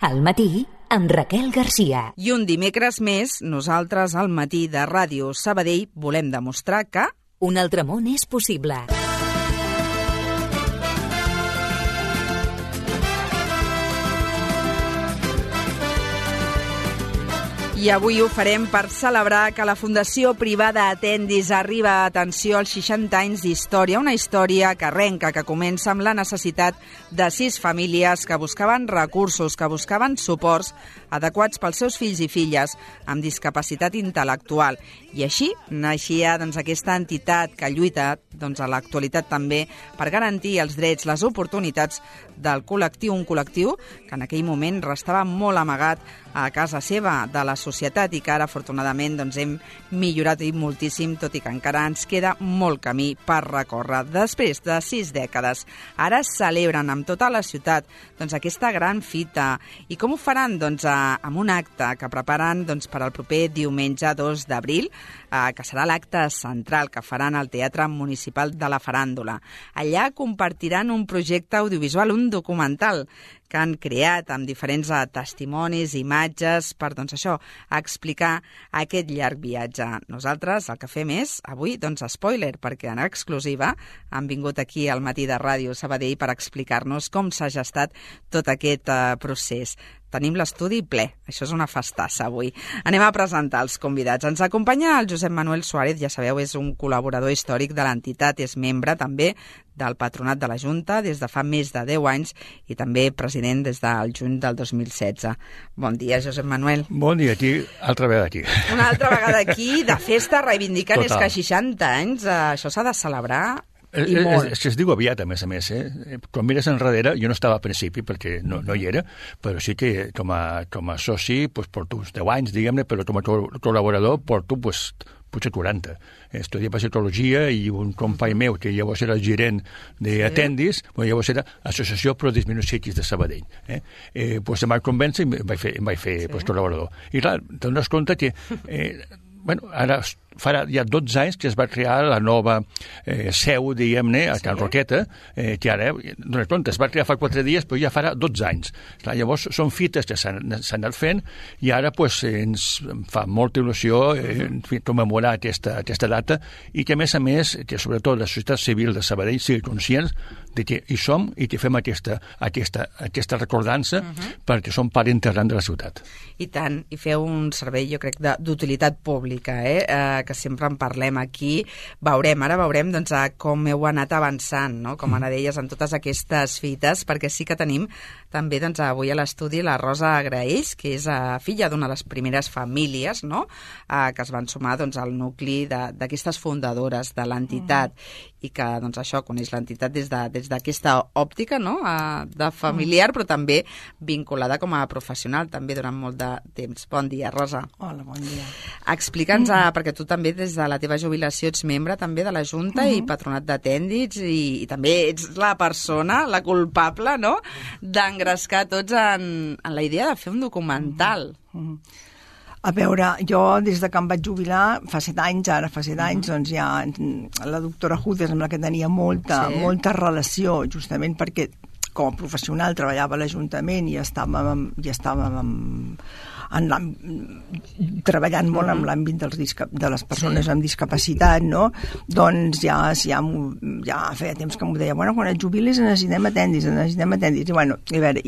Al matí, amb Raquel Garcia. I un dimecres més, nosaltres al matí de Ràdio Sabadell volem demostrar que... Un altre món és possible. I avui ho farem per celebrar que la Fundació Privada Atendis arriba a atenció als 60 anys d'història, una història que arrenca, que comença amb la necessitat de 6 famílies que buscaven recursos, que buscaven suports adequats pels seus fills i filles amb discapacitat intel·lectual. I així naixia aquesta entitat que lluita a l'actualitat també per garantir els drets, les oportunitats del col·lectiu, un col·lectiu que en aquell moment restava molt amagat a casa seva de la societat i que ara, afortunadament, hem millorat moltíssim, tot i que encara ens queda molt camí per recórrer. Després de 6 dècades, ara celebren amb tota la ciutat aquesta gran fita. I com ho faran? Amb un acte que preparen per al proper diumenge 2 d'abril, que serà l'acte central que faran al Teatre Municipal de la Faràndula. Allà compartiran un projecte audiovisual, un documental, que han creat amb diferents testimonis, imatges, per, explicar aquest llarg viatge. Nosaltres el que fem és, avui, spoiler, perquè en exclusiva han vingut aquí al matí de Ràdio Sabadell per explicar-nos com s'ha gestat tot aquest procés. Tenim l'estudi ple, això és una festassa avui. Anem a presentar els convidats. Ens acompanya el Josep Manuel Suárez, ja sabeu, és un col·laborador històric de l'entitat, és membre també del Patronat de la Junta des de fa més de 10 anys i també president des del juny del 2016. Bon dia, Josep Manuel. Bon dia, aquí, altra vegada aquí. Una altra vegada aquí, de festa, reivindicant. Total. És que 60 anys, això s'ha de celebrar. És que es diu aviat, a més. Quan mires enrere, jo no estava al principi perquè no hi era, però sí que com a soci porto uns 10 anys, diguem-ne, però com a col·laborador porto potser 40. Estudié psicologia i un company meu, que llavors era el gerent d'Atendis, llavors era Associació Pro Disminuïts Psíquics de Sabadell. Em vaig convèncer i em vaig fer col·laborador. I clar, t'adones compte que ara farà ja 12 anys que es va crear la nova seu, diguem-ne, a Can Roqueta, que ara, dones compte, es va crear fa 4 dies, però ja farà 12 anys. Clar, llavors, són fites que s'han anat fent i ara ens fa molta il·lusió commemorar aquesta data i que, a més, que sobretot la societat civil de Sabadell sigui conscients de que hi som i que fem aquesta recordança perquè som part integrant de la ciutat. I tant, i feu un servei, jo crec, d'utilitat pública, que sempre en parlem aquí. Ara veurem com heu anat avançant, no? Com ara deies, en totes aquestes fites, perquè sí que tenim també avui a l'estudi la Rosa Graells, que és filla d'una de les primeres famílies, no? Que es van sumar al nucli d'aquestes fundadores de l'entitat i que això coneix l'entitat des d'aquesta òptica, no? De familiar, però també vinculada com a professional també durant molt de temps. Bon dia, Rosa. Hola, bon dia. Explica'ns, perquè tu també des de la teva jubilació ets membre també de la Junta i Patronat d'Atendis i també ets la persona, la culpable, no?, d'engrescar tots en la idea de fer un documental. A veure, jo des de que em vaig jubilar, fa 7 anys, doncs ja la doctora Judes, amb la que tenia molta relació, justament perquè com a professional treballava a l'Ajuntament i estàvem treballant molt en l'àmbit de les persones amb discapacitat, no? Doncs ja feia temps que m'ho deia, quan et jubilis necessitem atendis.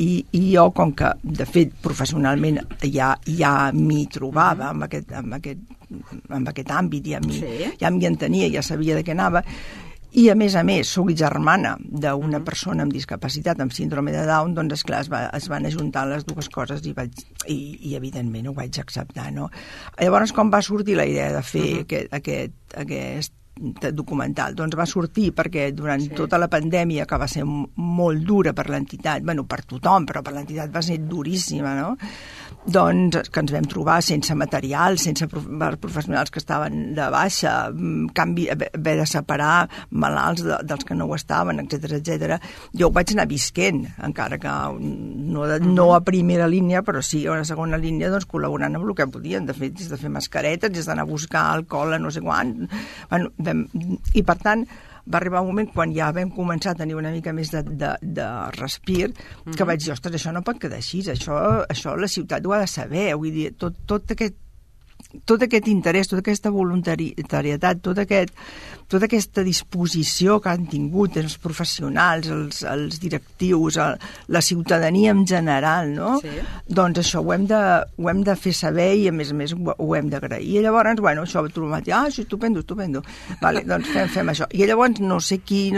I jo, com que, de fet, professionalment ja m'hi trobava en aquest àmbit, ja m'hi entenia, ja sabia de què anava, i a més, soc germana d'una persona amb discapacitat, amb síndrome de Down, doncs esclar, es van ajuntar les dues coses i evidentment ho vaig acceptar, no? Llavors, com va sortir la idea de fer aquest documental? Doncs va sortir perquè durant tota la pandèmia, que va ser molt dura per l'entitat, per tothom, però per l'entitat va ser duríssima, no? Doncs que ens vam trobar sense material, sense professionals que estaven de baixa, haver de separar malalts dels que no ho estaven, etc. Jo ho vaig anar visquent, encara que no a primera línia, però sí a una segona línia, doncs col·laborant amb el que podien. De fet, des de fer mascaretes, des d'anar a buscar alcohol a no sé quant. I per tant, va arribar un moment quan ja vam començar a tenir una mica més de respir, que vaig dir, ostres, això no pot quedar així, això la ciutat ho ha de saber, vull dir, tot aquest interès, tota aquesta voluntarietat, tota aquesta disposició que han tingut els professionals, els directius, la ciutadania en general, no? Sí. Doncs això ho hem de fer saber i a més ho hem d'agrair. I llavors, bueno, això ho trobem, sí, estupendo. Vale, doncs fem això. I llavors no sé qui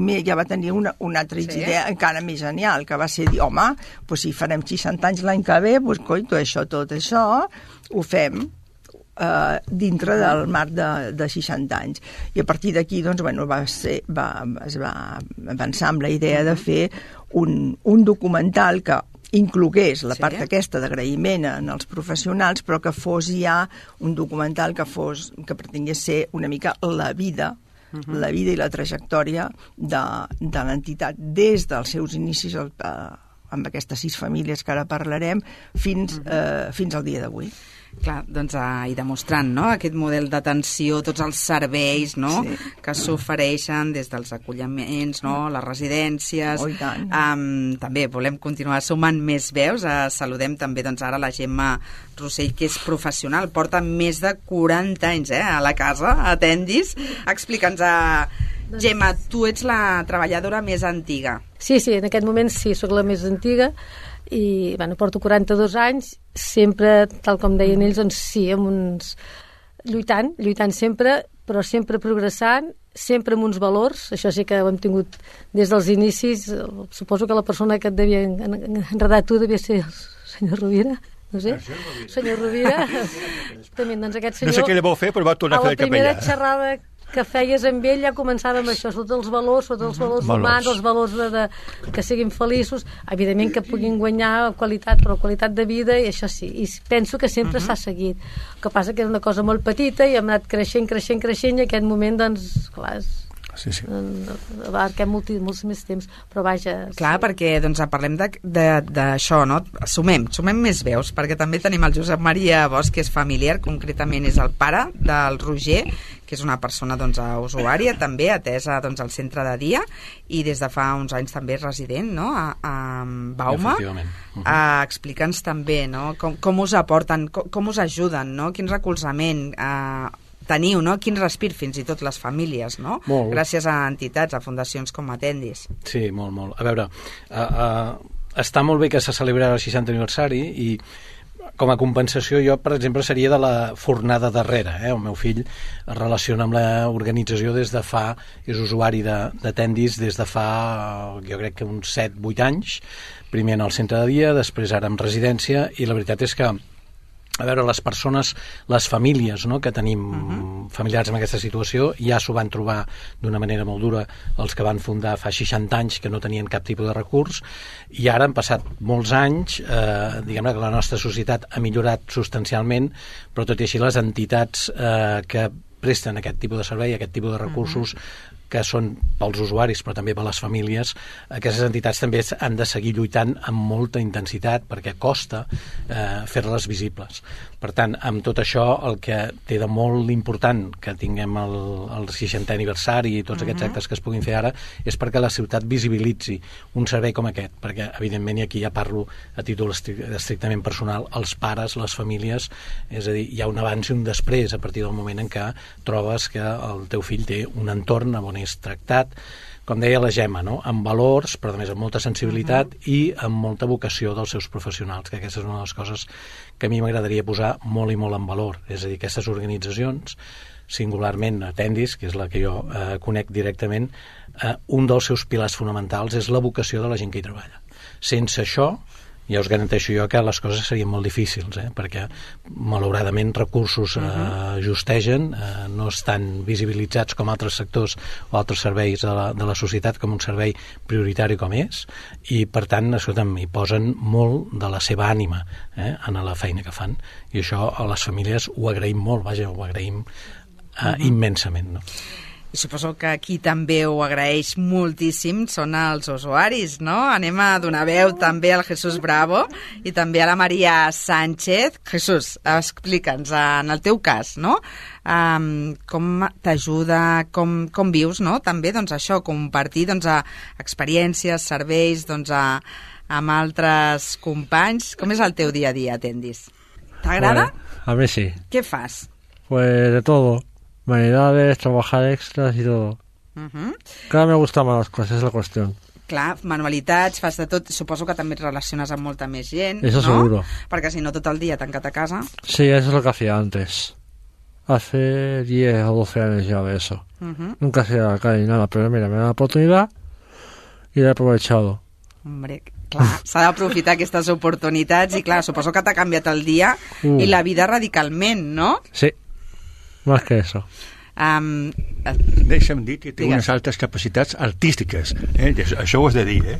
més ja va tenir una altra idea encara més genial, que va ser dir, home, doncs si farem 60 anys l'any que ve, doncs coi, tot això ho fem dintre del marc de 60 anys. I a partir d'aquí, doncs, bueno, es va avançar amb la idea de fer un documental que inclogués la part aquesta d'agraïment en els professionals, però que fos ja un documental que pretengués ser una mica la vida i la trajectòria de l'entitat des dels seus inicis amb aquestes 6 famílies que ara parlarem fins al dia d'avui. Clar, doncs, i demostrant, no?, aquest model d'atenció, tots els serveis, no?, que s'ofereixen des dels acolliments, no?, les residències. Oh, i tant. També volem continuar sumant més veus. Saludem també, doncs, ara la Gemma Rossell, que és professional, porta més de 40 anys a la casa, a Tendis. Explica'ns, Gemma, tu ets la treballadora més antiga. Sí, en aquest moment sí, sóc la més antiga, i bueno, porto 42 anys, sempre, tal com deien ells, doncs sí, amb uns... lluitant sempre, però sempre progressant, sempre amb uns valors. Això sí que ho hem tingut des dels inicis. Suposo que la persona que et devia enredar tu devia ser el senyor Rovira, no sé, senyor Rovira. També, doncs aquest senyor... No sé què li vau fer, però va tornar a fer de capellà. A la primera xerrada que feies amb ell ja començava amb això, sobretot els valors humans, els valors que siguin feliços, evidentment que puguin guanyar qualitat, però qualitat de vida, i això sí, i penso que sempre s'ha seguit. El que passa que és una cosa molt petita i hem anat creixent, i aquest moment, doncs, clar, abarquem molts més temps, però vaja... Clar, perquè doncs, parlem d'això, no? Sumem més veus, perquè també tenim el Josep Maria Bosch, que és familiar, concretament és el pare del Roger, que és una persona, doncs, usuària, també atesa, doncs, al centre de dia, i des de fa uns anys també és resident, no?, a Bauma. Efectivament. Explica'ns també, no?, com us aporten, com us ajuden, no?, quin recolzament teniu, no?, quin respir fins i tot les famílies, no?, molt. Gràcies a entitats, a fundacions com Atendis. Sí, molt. A veure, està molt bé que se celebra el 60 aniversari i com a compensació jo, per exemple, seria de la fornada darrere. El meu fill es relaciona amb l'organització des de fa... és usuari d'Atendis des de fa, jo crec que uns 7-8 anys, primer en el centre de dia, després ara en residència, i la veritat és que a veure, les persones, les famílies, no?, que tenim familiars en aquesta situació, ja s'ho van trobar d'una manera molt dura els que van fundar fa 60 anys, que no tenien cap tipus de recurs, i ara han passat molts anys, diguem-ne que la nostra societat ha millorat substancialment, però tot i així les entitats que presten aquest tipus de servei, aquest tipus de recursos, que són pels usuaris però també per les famílies, aquestes entitats també han de seguir lluitant amb molta intensitat perquè costa fer-les visibles. Per tant, amb tot això, el que té de molt important que tinguem el 60è aniversari i tots aquests actes que es puguin fer ara és perquè la ciutat visibilitzi un servei com aquest, perquè evidentment, i aquí ja parlo a títol estrictament personal, els pares, les famílies, és a dir, hi ha un abans i un després a partir del moment en què trobes que el teu fill té un entorn on és tractat, com deia la Gemma, no?, amb valors, però a més amb molta sensibilitat i amb molta vocació dels seus professionals, que aquesta és una de les coses que a mi m'agradaria posar molt i molt en valor. És a dir, aquestes organitzacions, singularment Atendis, que és la que jo conec directament, un dels seus pilars fonamentals és la vocació de la gent que hi treballa. Sense això, ja us garanteixo jo que les coses serien molt difícils, perquè malauradament recursos justegen, no estan visibilitzats com altres sectors o altres serveis de la societat com un servei prioritari com és, i per tant hi posen molt de la seva ànima en la feina que fan, i això a les famílies ho agraïm molt, ho agraïm immensament, no? I suposo que aquí també ho agraeix moltíssim, són els usuaris, no? Anem a donar veu també al Jesús Bravo i també a la Maria Sánchez. Jesús, explica'ns, en el teu cas, no? Com t'ajuda, com vius, no? També, doncs, això, compartir, doncs, experiències, serveis, doncs, amb altres companys. Com és el teu dia a dia, Atendis? T'agrada? A mí sí. ¿Qué fas? Pues de todo. Manualidades, trabajar extras y todo. Cada vez me gustan más las cosas, es la cuestión. Clar, manualitats, fas de tot. Suposo que també et relaciones amb molta més gent, Eso no? seguro. Perquè si no, tot el dia tancat a casa. Sí, eso es lo que hacía antes. Hace 10 o 12 años ya de eso. Nunca hacía la calle ni nada, pero mira, me da la oportunidad y la he aprovechado. Hombre, clar, s'ha d'aprofitar aquestes oportunitats i, clar, suposo que t'ha canviat el dia i la vida radicalment, no? Sí, más que eso. Deixa'm dir que té Digues. unes altes capacitats artístiques. Això ho has de dir,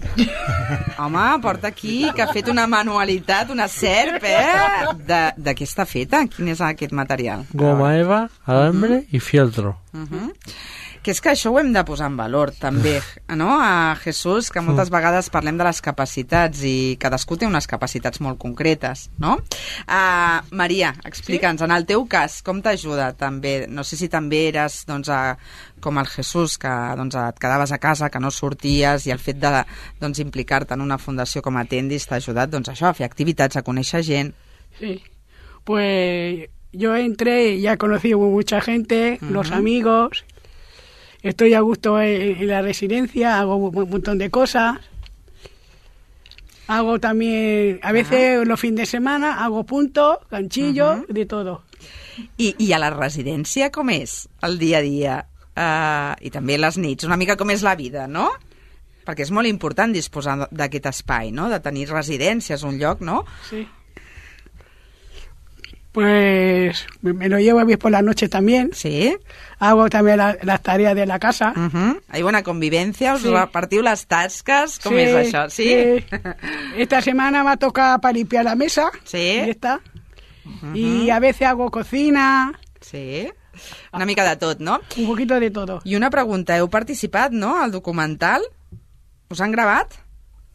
Home, porta aquí que ha fet una manualitat, una serp, De què està feta? Quin és aquest material? Goma eva, alambre y fieltro. Que és que això ho hem de posar en valor també, no? A Jesús, que moltes vegades parlem de les capacitats i cadascú té unes capacitats molt concretes, no? Maria, explica'ns, en el teu cas, com t'ajuda també? No sé si també eres, doncs, com el Jesús, que doncs, et quedaves a casa, que no sorties, i el fet de doncs, implicar-te en una fundació com Atendis t'ha ajudat, doncs, això, a fer activitats, a conèixer gent. Sí, pues yo entré y ya he conocido mucha gente, los amigos. Estoy a gusto en la residencia, hago un montón de cosas. Hago también, a veces los fines de semana, hago puntos, ganchillos, de todo. I a la residència com és el dia a dia? I també les nits, una mica com és la vida, no? Perquè és molt important disposar d'aquest espai, no? De tenir residències, un lloc, no? Sí. Pues me lo llevo bien por la noche también. Sí. Hago también las tareas de la casa. Hay buena convivencia, us Sí. repartiu les tasques, com Sí, és això? Sí? Esta semana me ha tocado para limpiar la mesa. Sí. Y está. Y a veces hago cocina, Sí. Una mica de tot, no? un poquito de todo. I una pregunta, heu participat, no?, al documental? Us han gravat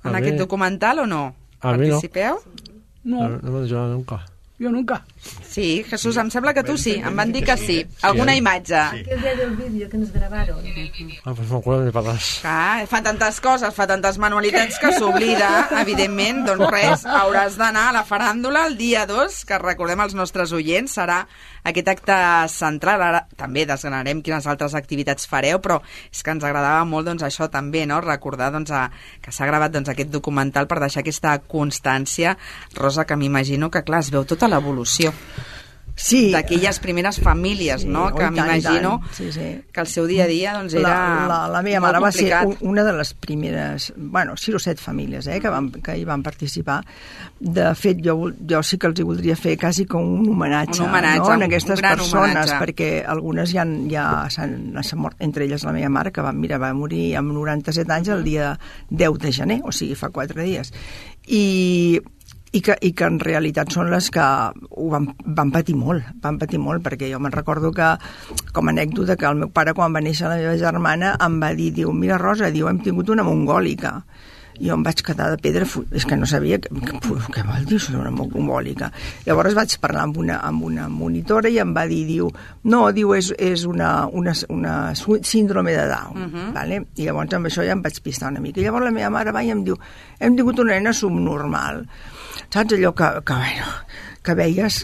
en A aquest mi- documental o no? a mi no. Participeu? No, No me he ayudado nunca. yo nunca. Sí, Jesús, em sembla que tu sí, em van dir que sí. Alguna imatge. Aquel día del vídeo que nos grabaron. Ah, pues no me acuerdo ni para atrás. Clar, fa tantes coses, fa tantes manualitats que s'oblida, evidentment, doncs res, hauràs d'anar a la faràndula el dia 2, que recordem als nostres oients, serà aquest acte central. Ara també desgranarem quines altres activitats fareu, però és que ens agradava molt, doncs, això també, no?, recordar, doncs, que s'ha gravat, doncs, aquest documental per deixar aquesta constància, Rosa, que m'imagino que, clar, es veu tota l'evolució Sí. d'aquelles primeres famílies, no?, Sí, que i tant, m'imagino i tant. Sí, sí. que el seu dia a dia, doncs, era La meva molt mare va ser complicat. una de les primeres, 6 o 7 famílies que hi van participar. De fet, jo sí que els hi voldria fer quasi com un homenatge, Un homenatge, no? En aquestes un gran persones, homenatge. perquè algunes ja s'han mort, entre elles la meva mare, que va morir amb 97 anys el dia 10 de gener, o sigui, fa 4 dies. I que en realitat són les que ho van patir molt, perquè jo me'n recordo que, com a anècdota, que el meu pare, quan va néixer la meva germana, em va dir, mira, Rosa, hem tingut una mongòlica. Jo em vaig quedar de pedra, és que no sabia què vol dir això d'una mongòlica. Llavors vaig parlar amb una monitora i em va dir, és una síndrome de Down. Vale? I llavors amb això ja em vaig pistar una mica. I llavors la meva mare va i em diu, hem tingut una nena subnormal. Saps allò que veies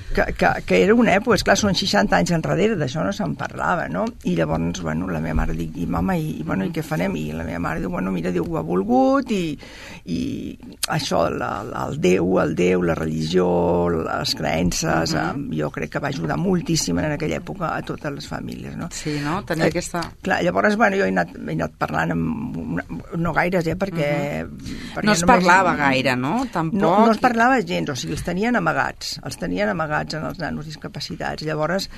que era una època, esclar, són 60 anys enrere, d'això no se'n parlava, no? I llavors, la meva mare diu, mama, i què farem? I la meva mare diu, mira, Déu ho ha volgut, i això, el Déu, la religió, les creences, jo crec que va ajudar moltíssim en aquella època a totes les famílies, no? Sí, no? Tenia aquesta... Clar, llavors, jo he anat parlant no gaires, perquè no es parlava gaire, no? Tampoc... No es parlava gens, o sigui, els tenien amagats en els nanos discapacitats. Llavors,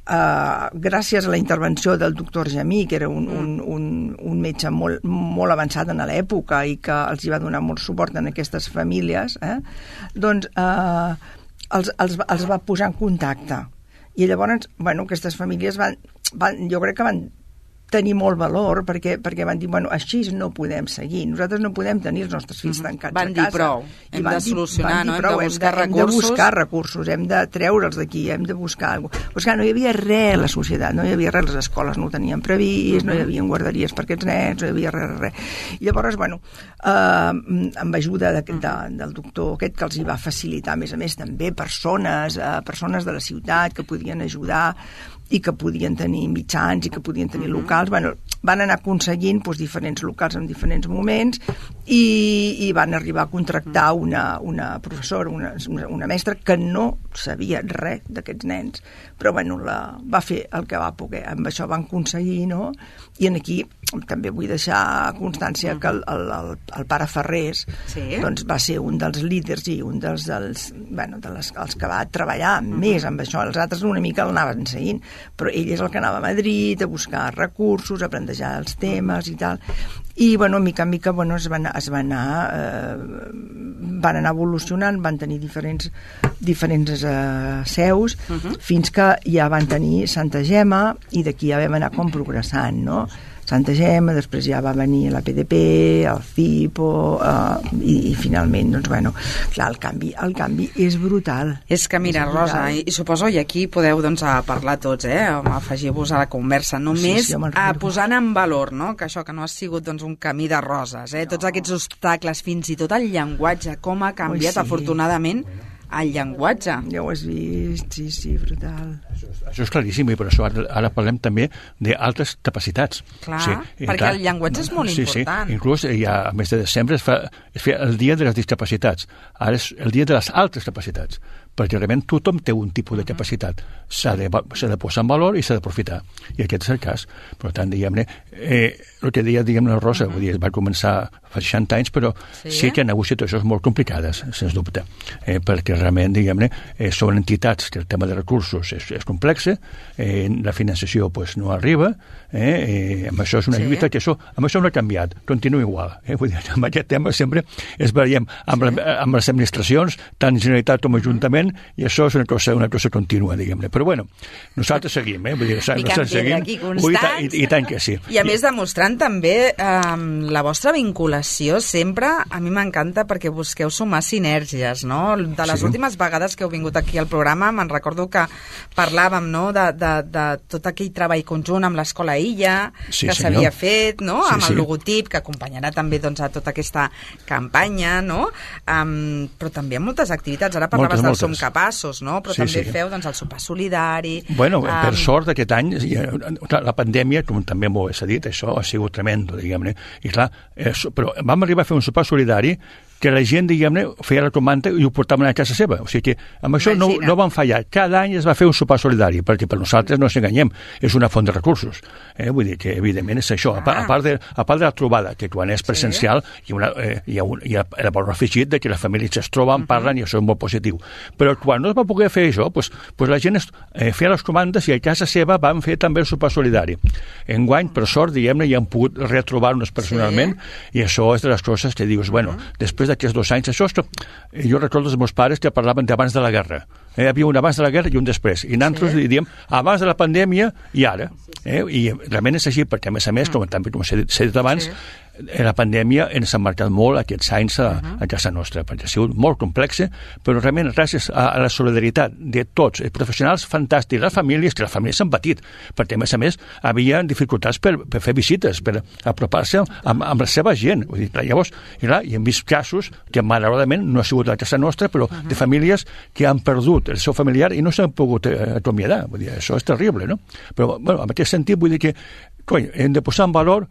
gràcies a la intervenció del doctor Jamí, que era un metge molt avançat en l'època i que els hi va donar molt suport en aquestes famílies, doncs els va posar en contacte. I llavors, bueno, aquestes famílies jo crec que van tenir molt valor perquè van dir, bueno, així no podem seguir, nosaltres no podem tenir els nostres fills tancats a casa. Van dir prou, hem de solucionar, no? Hem de buscar recursos. Hem de buscar recursos, hem de treure'ls d'aquí, hem de buscar alguna cosa. Però és que no hi havia res a la societat, no hi havia res, les escoles no ho tenien previst, no hi havia guarderies per aquests nens, no hi havia res. I llavors, bueno, amb ajuda del doctor aquest que els hi va facilitar, a més també persones de la ciutat que podien ajudar i que podien tenir mitjans i que podien tenir locals, bueno, van anar aconseguint diferents locals en diferents moments i van arribar a contractar una professora, una mestra que no sabia res d'aquests nens, però bueno, va fer el que va poder, amb això van aconseguir, no? I aquí també vull deixar constància que el pare Ferrés doncs va ser un dels líders i un dels que va treballar més amb això, els altres una mica l'anaven seguint, però ell és el que anava a Madrid a buscar recursos, a plantejar els temes i tal, i bueno, mica en mica bueno, van anar evolucionant, van tenir diferents seus, fins que ja van tenir Santa Gemma i d'aquí ja vam anar com progressant, no? Santa Gemma, després ja va venir la PDP, el CIPO, i finalment, doncs, bueno, clar, el canvi és brutal. És que, mira, Rosa, i suposo, i aquí podeu, doncs, parlar tots, afegir-vos a la conversa, només posant en valor, no?, que això que no ha sigut, doncs, un camí de roses, tots aquests obstacles, fins i tot el llenguatge, com ha canviat, afortunadament, el llenguatge. Ja ho has vist, sí, brutal. Això és claríssim, i per això ara parlem també d'altres capacitats. Clar, perquè el llenguatge és molt important. Sí, inclús ja a mes de desembre es feia el dia de les discapacitats, ara és el dia de les altres capacitats, perquè realment tothom té un tipus de capacitat, s'ha de posar en valor i s'ha d'aprofitar, i aquest és el cas. Per tant, diguem-ne, el que deia, la Rosa, vull dir, va començar fa 60 anys, però sí que hi ha hagut situacions molt complicades, sens dubte, perquè realment, diguem-ne, són entitats que el tema de recursos és complex, la finançació no arriba, amb això és una lluita que amb això no ha canviat, continua igual. Vull dir, amb aquest tema sempre es veiem amb les administracions, tant Generalitat com Ajuntament, i això és una cosa contínua, diguem-ne. Però bueno, nosaltres seguim, vull dir, nosaltres seguim, i tant que sí. I a més demostrant també la vostra vinculació sempre, a mi m'encanta perquè busqueu sumar sinergies, no? De les últimes vegades que heu vingut aquí al programa, me'n recordo que parlàvem, no?, de tot aquell treball conjunt amb l'Escola Illa, que s'havia fet, no?, amb el logotip, que acompanyarà també, doncs, a tota aquesta campanya, no?, però també amb moltes activitats. Ara parlaves del Som Capaços, no?, però també feu, doncs, el sopar solidari. Bueno, per sort aquest any, la pandèmia, com també m'ho s'ha dit, això ha sigut tremendo, diguem-ne, i clar, però vam arribar a fer un sopar solidari que la gent, diguem-ne, feia la comanda i ho portaven a casa seva. O sigui que amb això no van fallar. Cada any es va fer un sopar solidari, perquè per nosaltres no ens enganyem, és una font de recursos. Vull dir que, evidentment, és això. A part de la trobada, que quan és presencial hi ha el valor afegit de que les famílies es troben, parlen, i això és molt positiu. Però quan no es va poder fer això, la gent feia les comandes i a casa seva van fer també el sopar solidari. Enguany, per sort, diguem-ne, hi han pogut retrobar-nos personalment, i això és de les coses que dius, bueno, després d'aquests 2 anys, jo recordo els meus pares que parlaven d'abans de la guerra. Hi havia un abans de la guerra i un després. I nosaltres diem abans de la pandèmia i ara. I realment és així, perquè a més, com s'ha dit abans, la pandèmia ens ha marcat molt aquests anys a casa nostra, perquè ha sigut molt complexa, però realment gràcies a la solidaritat de tots, els professionals fantàstics, les famílies han patit, perquè a més havia dificultats per fer visites, per apropar-se amb la seva gent. Vull dir, llavors, i hem vist casos que malauradament no ha sigut a casa nostra, però de famílies que han perdut el seu familiar i no s'han pogut acomiadar. Vull dir, això és terrible, no? Però, bueno, en aquest sentit, vull dir que hem de posar en valor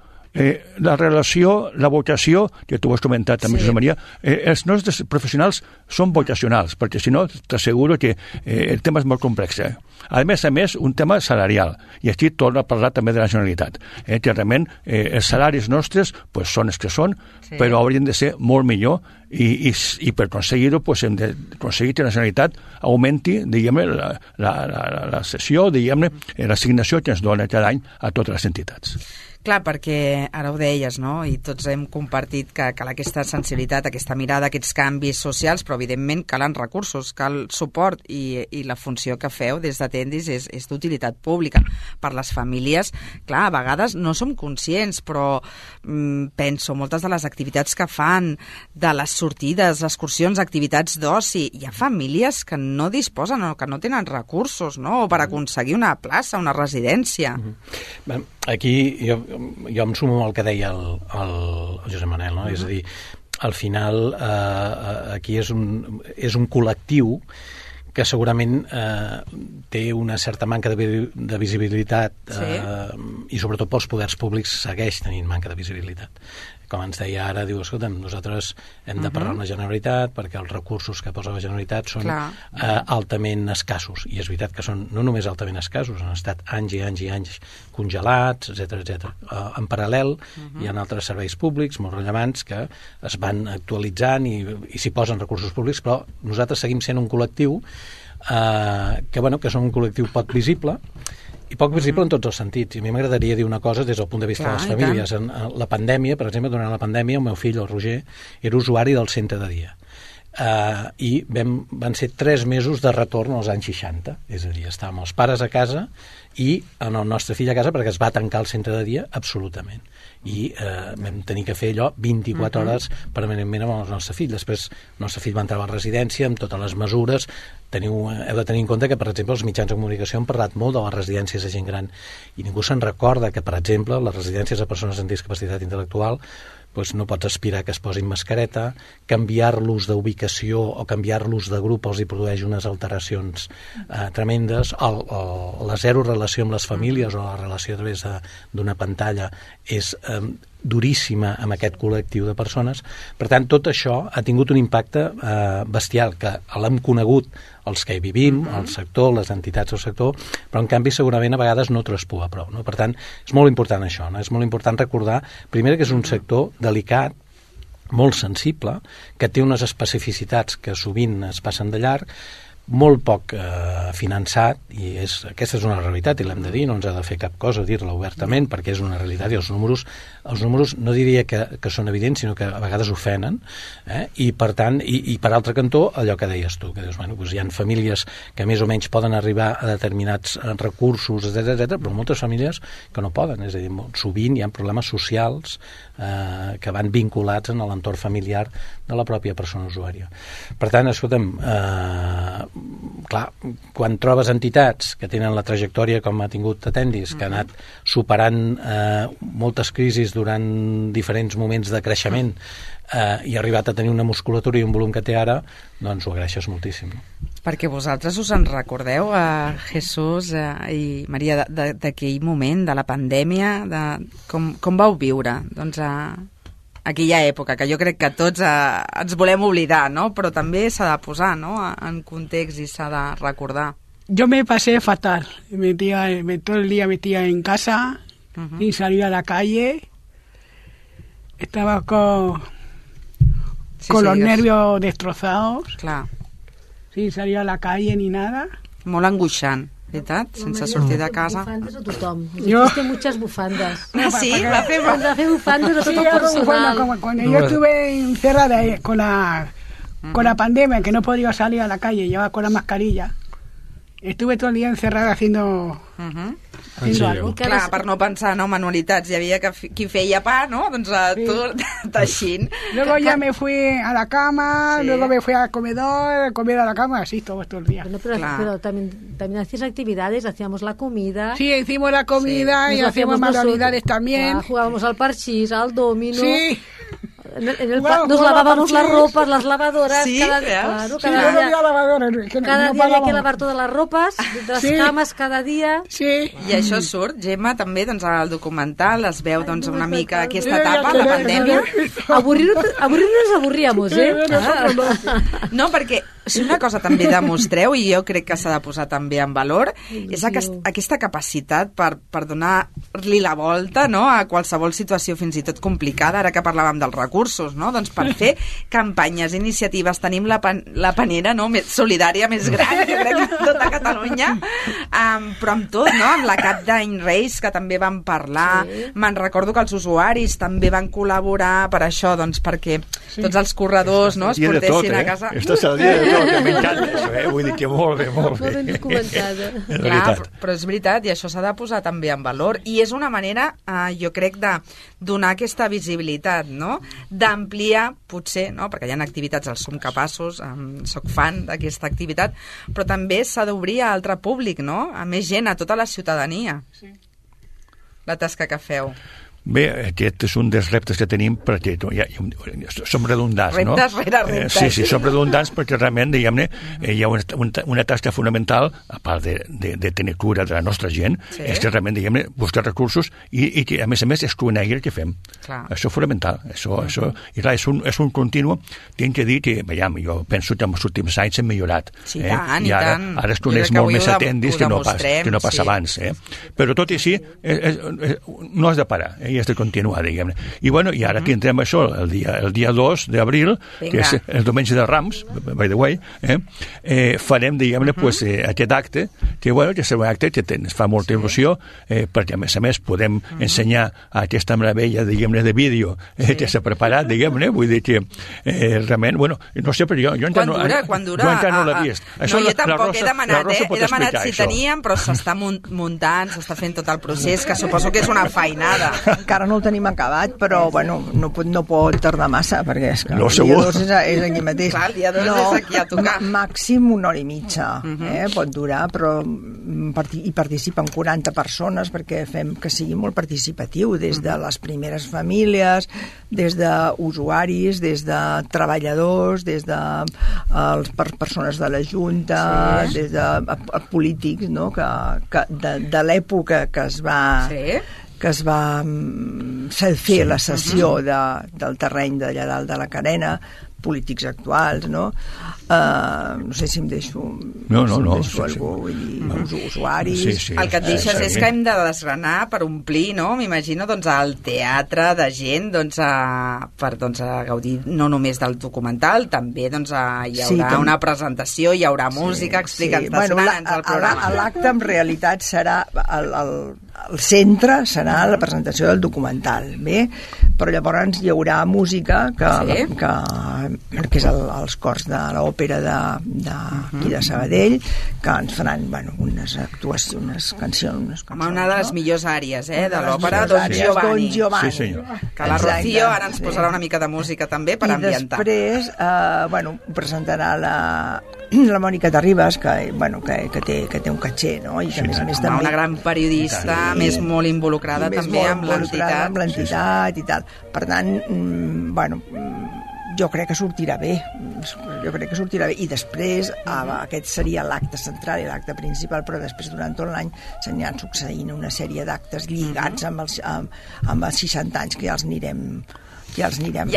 la relació, la vocació, que tu ho has comentat també, Josep Maria, els nostres professionals són vocacionals, perquè si no t'asseguro que el tema és molt complex. A més, un tema salarial, i aquí torno a parlar també de la Generalitat, que realment els salaris nostres són els que són, però haurien de ser molt millor, i per aconseguir-ho hem d'aconseguir que la Generalitat augmenti, diguem-ne, la sessió, diguem-ne, l'assignació que ens dona cada any a totes les entitats. Clar, perquè ara ho deies, no? I tots hem compartit que cal aquesta sensibilitat, aquesta mirada, aquests canvis socials, però evidentment calen recursos, cal suport i la funció que feu des d'Atendis és d'utilitat pública. Per les famílies, clar, a vegades no som conscients, però penso, moltes de les activitats que fan, de les sortides, excursions, activitats d'oci, hi ha famílies que no disposen o que no tenen recursos, no?, per aconseguir una plaça, una residència. Aquí jo em sumo al que deia el Josep Manel, no? És a dir, al final aquí és un col·lectiu que segurament té una certa manca de visibilitat i sobretot pels poders públics segueix tenint manca de visibilitat. Com ens deia ara, diu, escolta'm, nosaltres hem de parlar amb la Generalitat perquè els recursos que posa la Generalitat són altament escassos. I és veritat que són no només altament escassos, han estat anys i anys i anys congelats, etc. En paral·lel hi ha altres serveis públics molt rellevants que es van actualitzant i s'hi posen recursos públics, però nosaltres seguim sent un col·lectiu que som un col·lectiu poc visible i poc visible en tots els sentits. I a mi m'agradaria dir una cosa des del punt de vista de les famílies. En la pandèmia, per exemple, durant la pandèmia, el meu fill, el Roger, era usuari del centre de dia. I van ser 3 mesos de retorn als anys 60. És a dir, estàvem els pares a casa i en el nostre fill a casa perquè es va tancar el centre de dia absolutament. I vam tenir que fer allò 24 hores permanentment amb el nostre fill. Després el nostre fill va entrar a la residència amb totes les mesures. Heu de tenir en compte que, per exemple, els mitjans de comunicació han parlat molt de les residències de gent gran i ningú se'n recorda que, per exemple, les residències de persones amb discapacitat intel·lectual no pots aspirar que es posin mascareta, canviar-los d'ubicació o canviar-los de grup els hi produeix unes alteracions tremendes, la zero relació amb les famílies o la relació a través d'una pantalla és duríssima amb aquest col·lectiu de persones. Per tant, tot això ha tingut un impacte bestial, que l'hem conegut els que hi vivim, el sector, les entitats del sector, però en canvi segurament a vegades no traspua prou. No? Per tant, és molt important això, no? És molt important recordar, primer, que és un sector delicat, molt sensible, que té unes especificitats que sovint es passen de llarg, molt poc finançat, i aquesta és una realitat i l'hem de dir, no ens ha de fer cap cosa dir-la obertament perquè és una realitat i els números no diria que són evidents, sinó que a vegades ofenen, i per tant, i per altre cantó, allò que deies tu, que dius, hi ha famílies que més o menys poden arribar a determinats recursos, etc, però moltes famílies que no poden, és a dir, sovint hi ha problemes socials que van vinculats en l'entorn familiar de la pròpia persona usuària. Per tant, escolta'm, clar, quan trobes entitats que tenen la trajectòria com ha tingut Atendis, que ha anat superant moltes crisis durant diferents moments de creixement i ha arribat a tenir una musculatura i un volum que té ara, doncs ho agraeixes moltíssim. Perquè vosaltres us en recordeu, Jesús i Maria, d'aquell moment, de la pandèmia, com vau viure doncs, aquella època, que jo crec que tots ens volem oblidar, ¿no? Però també s'ha de posar, ¿no?, en context i s'ha de recordar. Yo me pasé fatal, todo el día metía en casa, sin salir a la calle, estaba con los nervios destrozados, clar, sin salir a la calle ni nada. Molt angoixant, veritat? Sense sortir de casa. Bufandes a tothom. Jo... Hiciste muchas bufandas. Ah, sí? Va fer bufandes a Sí, tot el personal. como cuando yo estuve encerrada con la pandemia, que no podía salir a la calle, llevaba con la mascarilla. Estuve todo el día encerrada haciendo algo. Clar, per no pensar, no, manualitats. Hi havia qui feia pa, no? Doncs tu teixint. Luego ya me fui a la cama, luego me fui al comedor, comer a la cama, así todo el día. Bueno, pero también hacías actividades, hacíamos la comida. Sí, hicimos la comida y hacíamos manualidades también. Jugábamos al parchís, al domino. Sí. Nos lavábamos las ropas, las lavadoras. Sí, cada día había que lavar todas las ropas, las camas cada dia. Sí. I això surt, Gemma, també, doncs, al documental es veu doncs, una mica aquesta etapa, la pandèmia. Aburrir nos aburríamos, No, perquè Si una cosa també demostreu, i jo crec que s'ha de posar també en valor, és aquesta capacitat per donar-li la volta, no?, a qualsevol situació fins i tot complicada, ara que parlàvem dels recursos, no?, doncs per fer campanyes, iniciatives, tenim la panera, no?, més solidària, més gran, jo crec que tota Catalunya, però amb tot, no?, amb la Cap d'Any Reis, que també van parlar, me'n recordo que els usuaris també van col·laborar per això, doncs perquè tots els corredors, no?, es portessin a casa. Estàs al dia de tot, que m'encanta això, vull dir que molt bé. Molt ben documentada. Clar, però és veritat, i això s'ha de posar també en valor, i és una manera, jo crec, de donar aquesta visibilitat, no?, d'ampliar, potser, no?, perquè hi ha activitats, els som capaços, soc fan d'aquesta activitat, però també s'ha d'obrir a altre públic, no?, a més gent, a tota la ciutadania. Sí. La tasca que feu. Bé, aquest és un dels reptes que tenim perquè som redundants, no? Reptes rere reptes. Sí, som redundants perquè realment, diguem-ne, hi ha una tasca fonamental, a part de tenir cura de la nostra gent, és que realment, diguem-ne, buscar recursos i que, a més, es conegui el que fem. Clar. Això és fonamental. I clar, és un continu. Tinc que dir que, veiem, jo penso que en els últims anys hem millorat. Sí, tant, i tant. Ara es coneix molt més atendis que no pas abans. Però tot i així, no has de parar, i has de continuar, diguem-ne. I bueno, i ara tindrem això el dia 2 d'abril, que és el diumenge de Rams, by the way, farem, diguem-ne, aquest acte, que serà un acte que ens fa molta il·lusió, perquè a més podem ensenyar aquesta meravella, diguem-ne, de vídeo que s'ha preparat, diguem-ne, vull dir que realment, bueno, no sé, però jo Quan dura? Jo encara no l'he vist. No, jo tampoc he demanat si teníem, però s'està muntant, s'està fent tot el procés, que suposo que és una feinada. Encara no el tenim acabat, però bueno, no pot tardar massa, perquè és que no, el dia 2 és aquí mateix. Clar, el dia 2 és aquí a tocar. Màxim 1 hora i mitja, pot durar, però hi participen 40 persones perquè fem que sigui molt participatiu, des de les primeres famílies, des d'usuaris, des de treballadors, des de persones de la Junta, des de polítics, no?, de l'època que es va fer la cessió del terreny d'allà dalt de la Carena, polítics actuals, no? No sé si em deixo algú, vull dir, usuaris. El que et deixes és que hem de desgranar per omplir, no? M'imagino, doncs, el teatre de gent, doncs, per gaudir no només del documental, també, doncs, hi haurà una presentació, hi haurà música, explica'ns el programa. L'acte, en realitat, serà el centre serà la presentació del documental, bé? Però llavors hi haurà música que és els cors de l'òpera d'aquí de Sabadell, que ens faran unes actuacions, unes cancions. Una de les millors àrees de l'òpera, Don Giovanni. Sí, senyor. Que la Rocío ara ens posarà una mica de música també per ambientar. I després presentarà la Mònica Terribas, que té un caché, no? I que a més també una gran periodista, més molt involucrada també amb l'entitat i tal. Per tant, jo crec que sortirà bé. I després aquest seria l'acte central i l'acte principal, però després durant tot l'any s'aniran succeint una sèrie d'actes lligats amb els 60 anys que ja els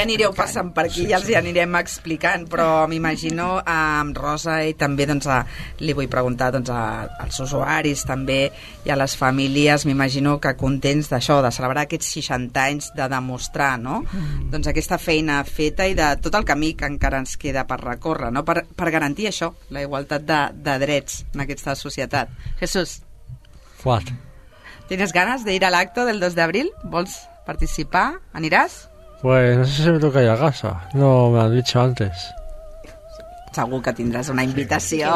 anireu passant per aquí, ja els hi anirem explicant, però m'imagino amb Rosa, i també li vull preguntar als usuaris també i a les famílies, m'imagino que contents d'això, de celebrar aquests 60 anys, de demostrar, no? Doncs aquesta feina feta i de tot el camí que encara ens queda per recórrer, no? Per garantir això, la igualtat de drets en aquesta societat. Jesús. What? ¿Tienes ganas de ir al acto del 2 de abril? ¿Vols participar? ¿Aniràs? Pues no sé si me toca ir a casa. No me han dicho antes. Segur que tindràs una invitació.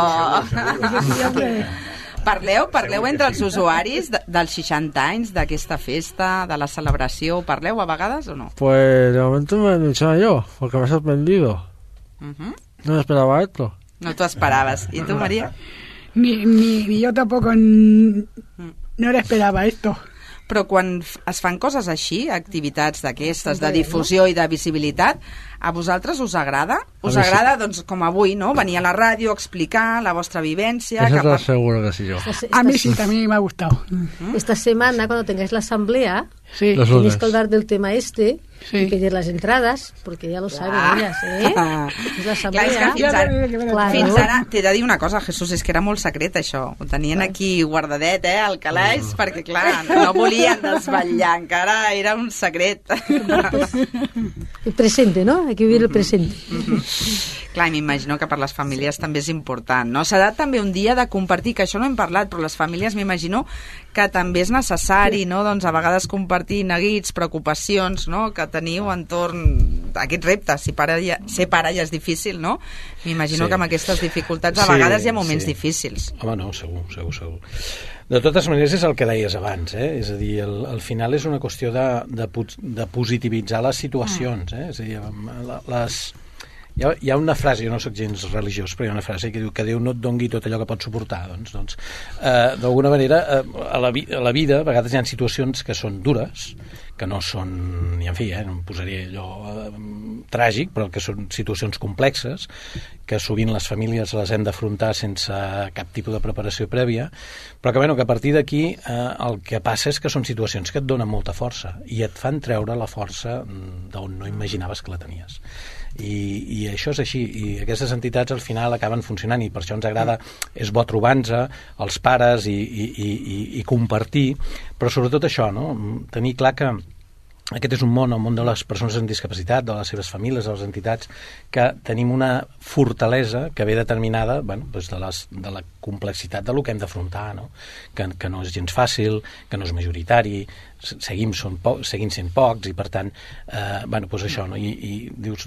Parleu entre els usuaris dels 60 anys d'aquesta festa, de la celebració. Parleu a vegades o no? Pues de momento me he dicho yo, porque me ha sorprendido. No me esperaba esto. No t'ho esperaves. ¿Y tú, María? Ni yo tampoco no le esperaba esto. Però quan es fan coses així, activitats d'aquestes, de difusió i de visibilitat, A vosaltres us agrada? Us agrada, doncs, com avui, no? Venir a la ràdio, explicar la vostra vivència... Eso te aseguro que sí yo. A mí sí, también me ha gustado. Esta semana, cuando tengáis la asamblea, Sí. Los tenéis lunes. que hablar del tema este Sí. y pedir las entradas, porque ya lo saben ellas, ¿eh? Es la Clar, és asamblea. que Claro. fins ara t'he de dir una cosa, Jesús, és que era molt secret això, ho tenien aquí guardadet, al calaix, perquè clar, no volien desvetllar, encara era un secret. El presente, ¿no? Hay que vivir el presente. Clar, m'imagino que per les famílies també és important, no? Serà també un dia de compartir, que això no hem parlat, però les famílies m'imagino que també és necessari, no? Doncs a vegades compartir neguits, preocupacions, no? Que teniu entorn d'aquests reptes. Si ser pare ja és difícil, no? M'imagino que amb aquestes dificultats a vegades hi ha moments difícils. Home, no, segur. De totes maneres és el que deies abans, és a dir, al final és una qüestió de positivitzar les situacions, és a dir, hi ha una frase, jo no soc gens religiós, però hi ha una frase que diu que Déu no et dongui tot allò que pots suportar, doncs d'alguna manera a la vida a vegades hi ha situacions que són dures, que no són, i en fi, no em posaria allò tràgic, però que són situacions complexes, que sovint les famílies les hem d'afrontar sense cap tipus de preparació prèvia, però que a partir d'aquí el que passa és que són situacions que et donen molta força i et fan treure la força d'on no imaginaves que la tenies. I això és així, i aquestes entitats al final acaben funcionant, i per això ens agrada, és bo trobar-nos els pares i compartir, però sobretot això, no? Tenir clar que aquest és un món, el món de les persones amb discapacitat, de les seves famílies, de les entitats, que tenim una fortalesa que ve determinada de la complexitat del que hem d'afrontar, no? Que no és gens fàcil, que no és majoritari, seguim sent pocs, i per tant això, no? I dius,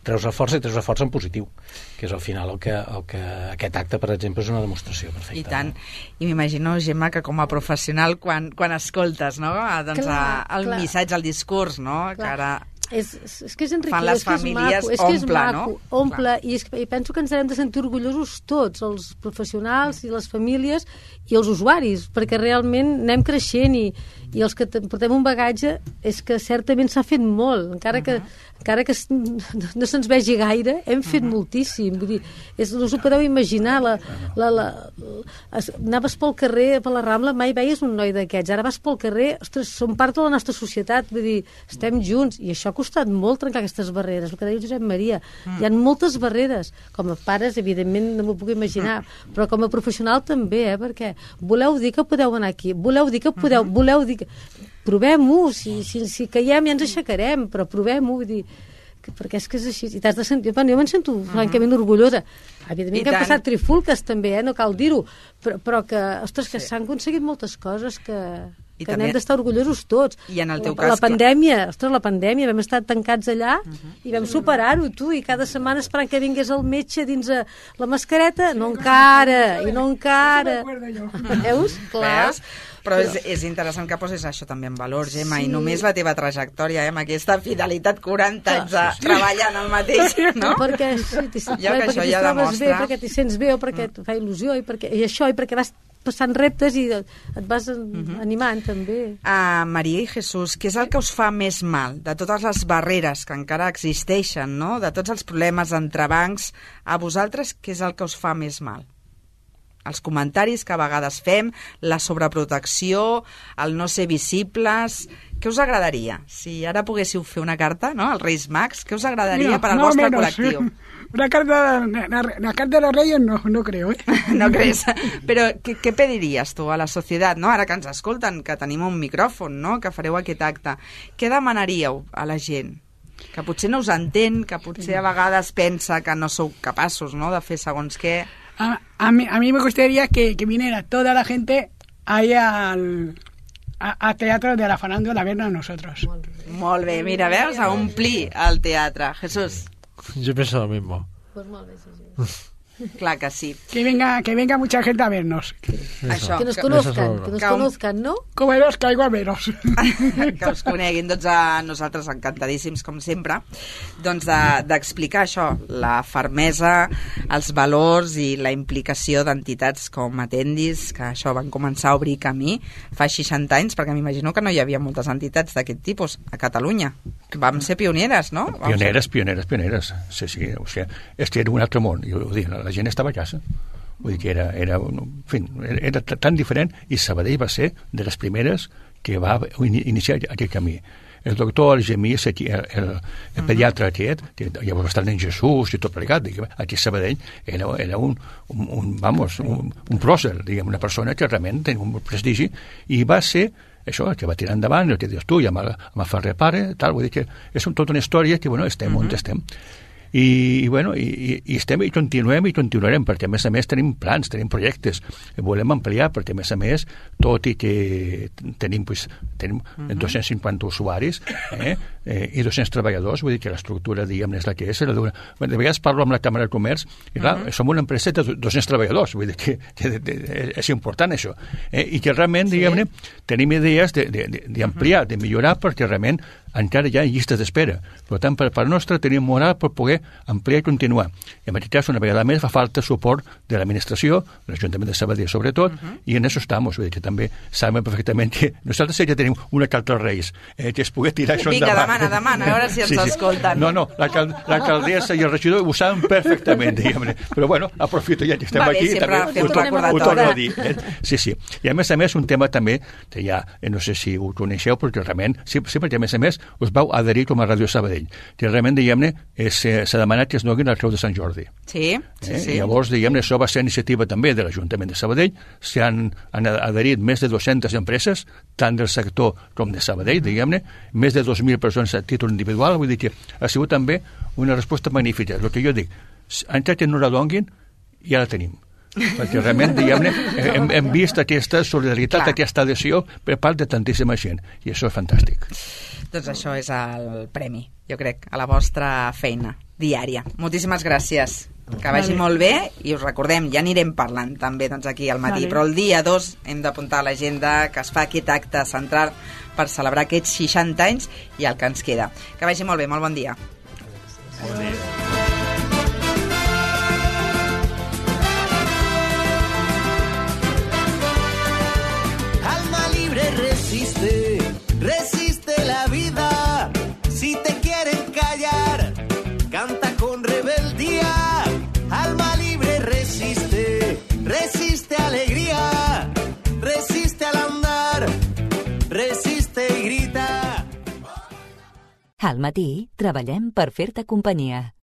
treus la força en positiu, que és al final el que aquest acte, per exemple, és una demostració perfecta. I tant, i m'imagino, Gemma, que com a professional quan escoltes, no? Doncs el missatge, el discurs, no? Que ara és que és enriquidor, fan les famílies, omple, i penso que ens hem de sentir orgullosos tots, els professionals i les famílies i els usuaris, perquè realment anem creixent i els que portem un bagatge és que certament s'ha fet molt, encara que no se'ns vegi gaire, hem fet moltíssim, vull dir, no us ho podeu imaginar, anaves pel carrer, per la Rambla, mai veies un noi d'aquests, ara vas pel carrer, ostres, som part de la nostra societat, vull dir, estem junts, i això ha costat molt trencar aquestes barreres, el que deia Josep Maria, hi ha moltes barreres, com a pares, evidentment, no m'ho puc imaginar, però com a professional també, perquè voleu dir que podeu anar aquí, voleu dir que provem-ho, si caiem ja ens aixecarem, però provem-ho, vull dir, perquè és que és així, i t'has de sentir, jo me'n sento francament orgullosa, evidentment que hem passat trifulques també, no cal dir-ho, però que, ostres, que s'han aconseguit moltes coses que n'hem d'estar orgullosos tots. I en el teu cas, la pandèmia, vam estar tancats allà i vam superar-ho, tu, i cada setmana esperant que vingués el metge dins la mascareta, no encara. Veus? Clar. Però és interessant que posis això també en valor, Gemma, i només la teva trajectòria, amb aquesta fidelitat 40 anys treballant el mateix, no? Perquè t'hi trobes bé, perquè t'hi sents bé, o perquè et fa il·lusió, i perquè vas passant reptes i et vas animant també. Maria i Jesús, què és el que us fa més mal de totes les barreres que encara existeixen, no? De tots els problemes, entrebancs, a vosaltres què és el que us fa més mal? Els comentaris que a vegades fem, la sobreprotecció, el no ser visibles... Què us agradaria? Si ara poguéssiu fer una carta, no?, als Reis Mags, què us agradaria per al vostre col·lectiu? Una carta de los Reyes no creo, ¿eh? No crees? Però què pediries tu a la societat, no? Ara que ens escolten, que tenim un micròfon, no?, que fareu aquest acte. Què demanaríeu a la gent? Que potser no us entén, que potser a vegades pensa que no sou capaços, no?, de fer segons què... A mí me gustaría que viniera toda la gente ahí al teatro de la farándula a vernos a nosotros. Molt bé, mira, veus, a omplir el teatre. Jesús. Yo pienso lo mismo. Pues molt bé, sí. Clar que sí. Que venga mucha gente a vernos. Això, que nos conozcan, ¿no? Com los caigo a veros. Que us coneguin. Doncs nosaltres encantadíssims, com sempre, doncs d'explicar això, la fermesa, els valors i la implicació d'entitats com Atendis, que això van començar a obrir camí fa 60 anys, perquè m'imagino que no hi havia moltes entitats d'aquest tipus a Catalunya. vam ser pioneres, no? Pioneres. Sí. O sigui, era un altre món. La gent estava a casa. Vull dir que era tan diferent, i Sabadell va ser de les primeres que va iniciar aquest camí. El doctor Algemí, el pediatre aquest, que llavors va estar en Jesús i tot plegat, aquí a Sabadell, era un pròcer, una persona que realment tenia un prestigi, i va ser això, que va tirar endavant, el que dius tu, ja m'ha fet repare, tal, vull dir que és tota una història que, estem on estem. I estem i continuarem, perquè a més tenim plans, tenim projectes, volem ampliar, perquè a més, tot i que tenim 250 usuaris i 200 treballadors, vull dir que l'estructura, és la que és. De vegades parlo amb la Càmera de Comerç, i clar, som una empresa de 200 treballadors, vull dir que és important això, i que realment, tenim idees d'ampliar, de millorar, perquè realment encara hi ha llistes d'espera. Per tant, per part nostra tenim moral per poder ampliar i continuar. I en aquest cas, una vegada més, fa falta suport de l'administració, de l'Ajuntament de Sabadell sobretot, i en això estamos. Vull dir que també saben perfectament que nosaltres ja tenim una carta als Reis, que es pugui tirar això endavant. Vinga, demana, a veure si ens escolten. No, l'alcaldessa i el regidor ho saben perfectament, però bueno, aprofito ja que estem aquí, també ho torno a dir. Sí. I a més, un tema també, que ja, no sé si ho coneixeu, perquè realment, sí, perquè a més, us vau adherir com a Ràdio Sabadell, que realment, s'ha demanat que es donin la Creu de Sant Jordi. Sí. Llavors, això va ser iniciativa també de l'Ajuntament de Sabadell, s'han adherit més de 200 empreses, tant del sector com de Sabadell, més de 2.000 persones a títol individual, vull dir que ha sigut també una resposta magnífica. El que jo dic, encara que no la donguin, ja la tenim. Perquè realment, hem vist aquesta solidaritat, aquesta adhesió per part de tantíssima gent, i això és fantàstic. Doncs això és el premi, jo crec, a la vostra feina diària. Moltíssimes gràcies. Que vagi molt bé, i us recordem, ja anirem parlant també aquí al matí, però el dia 2 hem d'apuntar a l'agenda que es fa aquest acte central per celebrar aquests 60 anys i el que ens queda. Que vagi molt bé, molt bon dia. Bon dia. Alma libre resiste la vida. Si te quieren callar, canta con rebeldía. Alma libre resiste alegría, resiste al andar, resiste i grita. Al matí treballem per fer-te companyia.